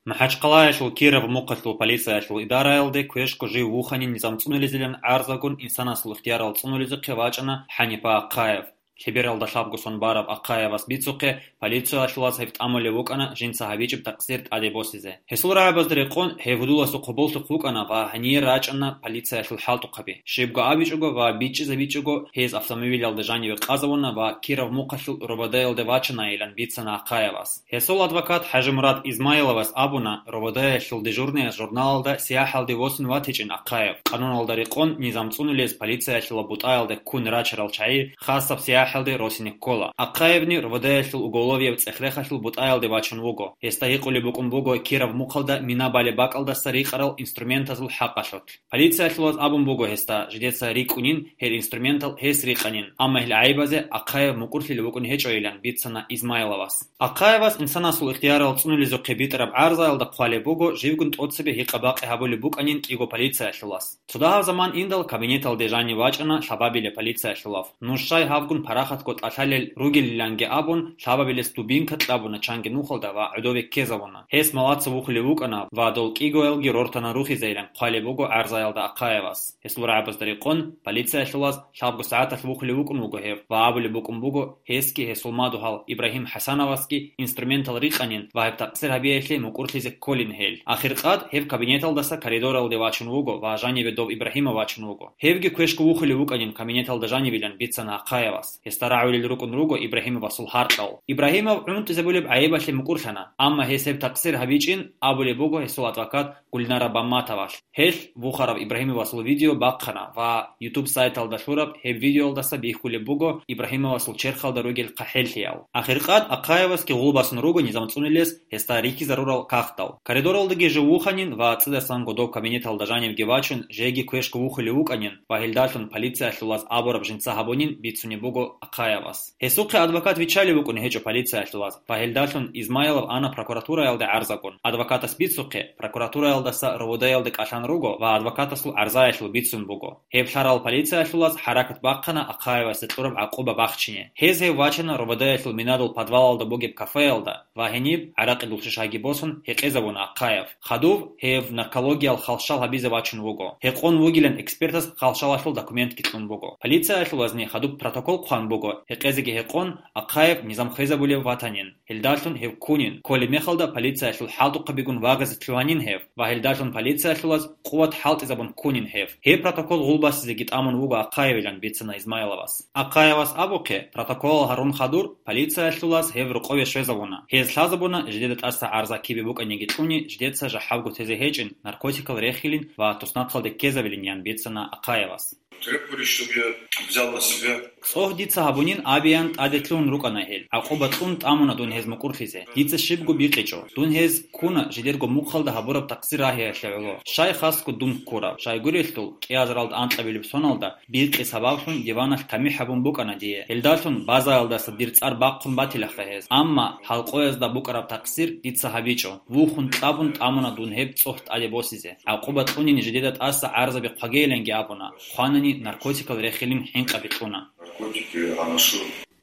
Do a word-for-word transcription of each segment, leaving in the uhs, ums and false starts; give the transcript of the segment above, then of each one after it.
МахӀачхъалаялъул Киров мухъалъул полициялъул идараялде квешго жив вуханин низам цӀунулезилан гӀарзагун инсанасул ихтиярал цӀунулезухъе вачӀана ХӀанипа Ахъаев. Лъебералда лъабго сон бараб Ахъаевас бицухъе, полициялъулаз гьеб тӀамулев вукӀана жинца гьабичӀеб такъсир тӀаде босизе. Гьесул рагӀабазда рекъон гьев гьудуласухъ гьоболлъухъ вукӀана ва гьанир рачӀана полициялъул хӀалтӀухъаби. Щибго абичӀого ва бичӀчӀизабичӀого гьез автомобилялда жаниве къазавуна ва Киров мухъалъул РОВД-ялде вачанайилан бицана Ахъаевас. Гьесул адвокат ХӀажимурад Измайловас абуна, РОВД-ялъул дежурныяс журналалда сияхӀалде восун ватичӀин Ахъаев. Къануналда рекъон низам цӀунулез полициялъула бутӀаялда ккун рачарал чагӀи хасаб сияхӀалде росине ккола. Ахъаевни РОВД-ялъул уголовияб цӀех-рехалъул бутӀаялде вачун вуго. Гьесда гьикъулеб букӀун буго Киров мухъалда мина балеб бакӀалдаса рикъарал инструментазул хӀакъалъулъ. Полициялъулаз абун буго гьесда, жидеца рикӀкӀунин гьел инструментал гьес рикъанин, амма гьел гӀайибазе Ахъаев мукӀурлъилев вукӀун гьечӀойилан бицана Измайловас. Ахъаевас инсанасул ихтиярал цӀунулезухъе битӀараб гӀарзаялда хъвалеб буго, живгун тӀоцебе гьикъа-бакъи гьабулеб букӀанин кӀиго полициялъулас. Цо дагьаб заман индал кабинеталде жанив вачӀана лъабабилеб полициялъулав. Нуж щай гьавгун парахатго тӀалъалел ругелиланги абун, лъабабилес дубинка кьабуна чанги нухалда ва гӀодове ккезавуна. Гьес малаца вухулев вукӀана ва дол кӀигоялги рортана рухизейилан хъвалеб буго гӀарзаялда Ахъаевас. Гьесул рагӀабазда рекъон, полициялъулаз лъабго сагӀаталъ вухулев вукӀун вуго гьев ва абулеб букӀун буго, гьесги гьесул мадугьал Ибрагьим ХӀасановасги инструментал рикъанин ва гьеб такъсир гьабиялъе мукӀурлъизе кколин гьел. Ахиркъад гьеб кабинеталдаса коридоралде вачун вуго ва жаниве дов Ибрагьимов вачун вуго. Гьевги квешго вухулев вукӀанин кабинеталда жанивилан бицана Ахъаевас. Гьесда рагӀулел рукӀун руго Ибрагьимовасул гьаркьал. Ибрагьимов гӀунтӀизабулеб гӀайибалъе мукӀурлъана, амма гьес гьеб такъсир гьабичӀин абулеб буго гьесул адвокат Гульнара Бамматовалъ. Гьелъ Бухараб Ибрагьимовасул видео бахъана ва YouTube сайталда лъураб гьеб видеоялдаса бихьулеб буго Ибрагьимовасул черхалда ругел хъахӀеллъиял. Ахиркъад Ахъаевасги гъулбасун руго низам цӀунилес гьесда рихьизарурал кагътал. Коридоралдаги жив вуханин ва цӀидасан гъодов кабинеталда жанивги вачун, жеги квешго вухулев вукӀанин ва гьелдалъун полициялъулаз абураб жинца гьабунин бицунеб буго Ахъаевас. Гьесухъе адвокат виччалев вукӀун гьечӀо полициялъулаз ва гьелдалъун Измайлов ана прокуратураялде гӀарзагун. Адвокатас бицухъе, прокуратураялдаса РОВД-ялде кӀалъан руго ва адвокатасул гӀарзаялъул бицун буго. Гьеб лъарал полициялъулаз хӀаракат бахъана Ахъаевасда кьураб гӀакъуба бахчине. Гьез гьев вачана РОВД-ялъул минадул подвалалда бугеб кафеялда ва гьениб, гӀаракъидул шишаги босун, гьекъезабуна Ахъаев. Хадув гьев наркологиял халщал гьабизе вачун вуго. Гьекъон вугилан экспертас халщалалъул документги кьун буго. Полициялъулазни хадуб протокол хъван буго, гьекъезеги гьекъон, Ахъаев низам хвезабулев ватанин. Гьелдалъун гьев ккунин. Кколеб мехалда полициялъул хӀалтӀухъабигун вагъизе лъугьанин гьев ва гьелдалъун полициялъулаз къуват хӀалтӀизабун ккунин гьев. Гьеб протокол гъулбасизеги тӀамун вуго Ахъаевилан бицана Измайловас. Ахъаевас абухъе, протоколал гьарун хадур, полициялъулаз гьев рокъове щвезавуна. Гьез лъазабуна жидеда тӀаса гӀарза кибе букӀаниги кьуни, жидеца жахӀалго тезе гьечӀин, наркотикал рехилин ва туснахъалде ккезабилин, ян бицана Ахъаевас. Требовали, чтобы я взял на себя. ЦӀогь дица гьабунин абиян тӀаде лъугьун рукӀана гьел. ГӀакъуба кьун тӀамуна дун гьез мукӀурлъизе. Дица щибго бикъичӀо. Дун гьез ккуна жидерго мухъалда гьабураб такъсир рагьиялъе гӀоло. Щай хасго дун ккураб? Щайгурелъул, кӀиазаралда анкьабилеб соналда биркьи сабаблъун диваналъ тамихӀ гьабун букӀана дие. Гьелдалъун базаялдаса дир цӀар бахъун батилаха гьез. Амма гьалкъоязда букӀараб такъсир дица гьабичӀо. Вухун кьабун тӀамуна дун гьеб цӀогь тӀаде босизе. ГӀакъуба кьунин жидеда тӀаса гӀарзаби хъвагейиланги абуна, хъванани наркотикал рехилин хӀинкъаби кьуна. Наркотики, анашу.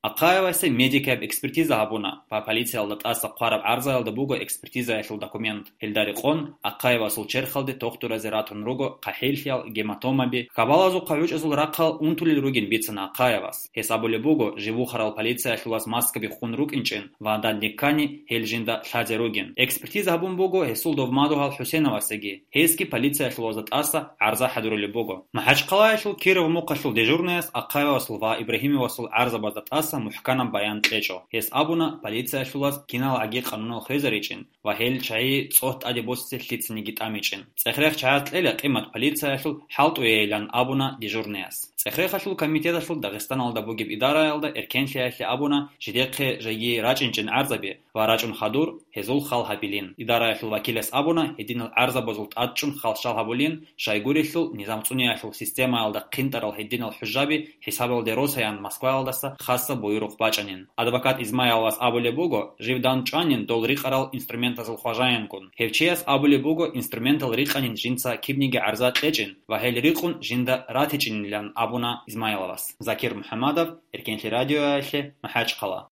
Ахъаевасе медикаб экспертиза гьабуна ва полициялда тӀаса хъвараб гӀарзаялда буго экспертизаялъул документ. Гьелда рекъон, Ахъаевасул черхалде тохтуразе ратун руго хъахӀеллъиял, гематомаби, хабалазухъа гӀучӀазул рахъал унтулел ругин бицана Ахъаевас. Гьес абулеб буго, жив вухарал полициялъулаз маскаби хун рукӀинчӀин ва данде ккани, гьел жинда лъазе ругин. Экспертиза гьабун буго гьесул дов мадугьал ХӀусеновасеги. Гьесги полициялъулазда тӀаса гӀарза хӀадурулеб буго. МахӀачхъалаялъул Киров мухъалъул дежурнаяс Ахъаевасул ва Ибрагьимовасул гӀарзабазда тӀаса мухӀканаб баян кьечӀо. Гьес абуна, полициялъулаз киналгӀаги къанунал хвезаричӀин ва гьел чагӀи цӀогь тӀаде босизе лъицаниги тӀамичӀин. ЦӀехрех чагӀаз кьела къимат полициялъул хӀалтӀуейилан абуна дежурнаяс. ЦӀехрехалъул комитеталъул Дагъистаналда бугеб идараялда эркенлъиялъе абуна, жидехъе жеги рачӀинчӀин гӀарзаби ва рачӀун хадур, гьезул хал гьабилин. Идараялъул вакилас абуна, гьединал гӀарзабазул тӀадчӀун халщал гьабулин, щайгурелъул низам цӀуниялъул системаялда хъинтӀарал гьединал хӀужаби хӀисабалде росаян Москваялдаса хасаб буюрухъ бачӀанин. Адвокат Измайловас абулеб буго, жив дандчӀванин дол рикъарал инструментазул хважаянгун. Гьев чияс абулеб буго, инструментал рикъанин жинца кибниги гӀарза кьечӀин ва гьел рикъун жинда ратичӀинилан абуна Измайловас. Закир МухӀамадов, Эркенлъи радиоялъе, МахӀачхъала.